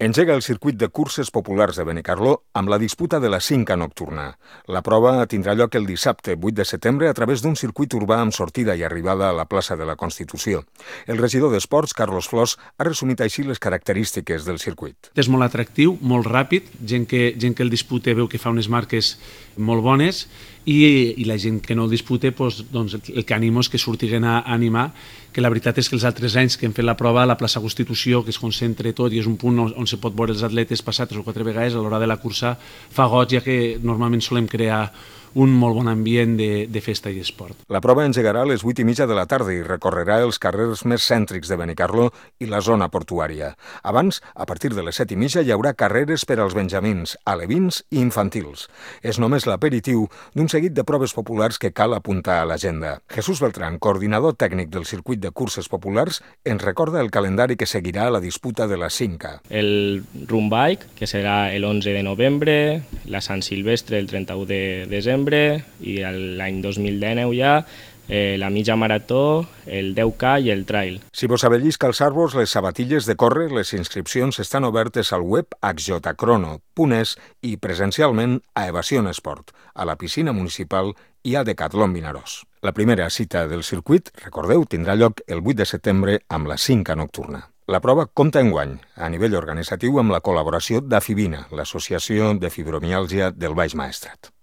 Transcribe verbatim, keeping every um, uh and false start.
Engega el circuit de curses populars de Benicarló amb la disputa de la Cinca nocturna. La prova tindrà lloc el dissabte vuit de setembre a través d'un circuit urbà amb sortida i arribada a la plaça de la Constitució. El regidor d'Esports, Carlos Flors, ha resumit així les característiques del circuit. És molt atractiu, molt ràpid, gent que, gent que el disputa veu que fa unes marques molt bones i, i la gent que no el disputa, doncs, doncs el que animo és que surtiguen a animar, que la veritat és que els altres anys que hem fet la prova a la plaça Constitució, que es concentra tot i és un punt on, on se pot veure els atletes passar tres o quatre vegades, a l'hora de la cursa fa goig, ja que normalment solem crear un molt bon ambient de, de festa i esport. La prova engegarà a les vuit i mitja de la tarda i recorrerà els carrers més cèntrics de Benicarló i la zona portuària. Abans, a partir de les set i mitja, hi haurà carreres per als benjamins, alevins i infantils. És només l'aperitiu d'un seguit de proves populars que cal apuntar a l'agenda. Jesús Beltrán, coordinador tècnic del circuit de curses populars, ens recorda el calendari que seguirà la disputa de la Cinca. El Run Bike, que serà l'onze de novembre, la Sant Silvestre el trenta-u de desembre, i l'any dos mil dinou ja eh, la mitja marató, el deu K i el trail. Si vos abellisca als arbres les sabatilles de córrer, les inscripcions estan obertes al web axjotacrono punt es i presencialment a Evasion Esport, a la piscina municipal i a Decatlon Vinaròs. La primera cita del circuit, recordeu, tindrà lloc el vuit de setembre amb la Cinca nocturna. La prova compta enguany, a nivell organitzatiu, amb la col·laboració d'Afibina, l'Associació de Fibromiàlgia del Baix Maestrat.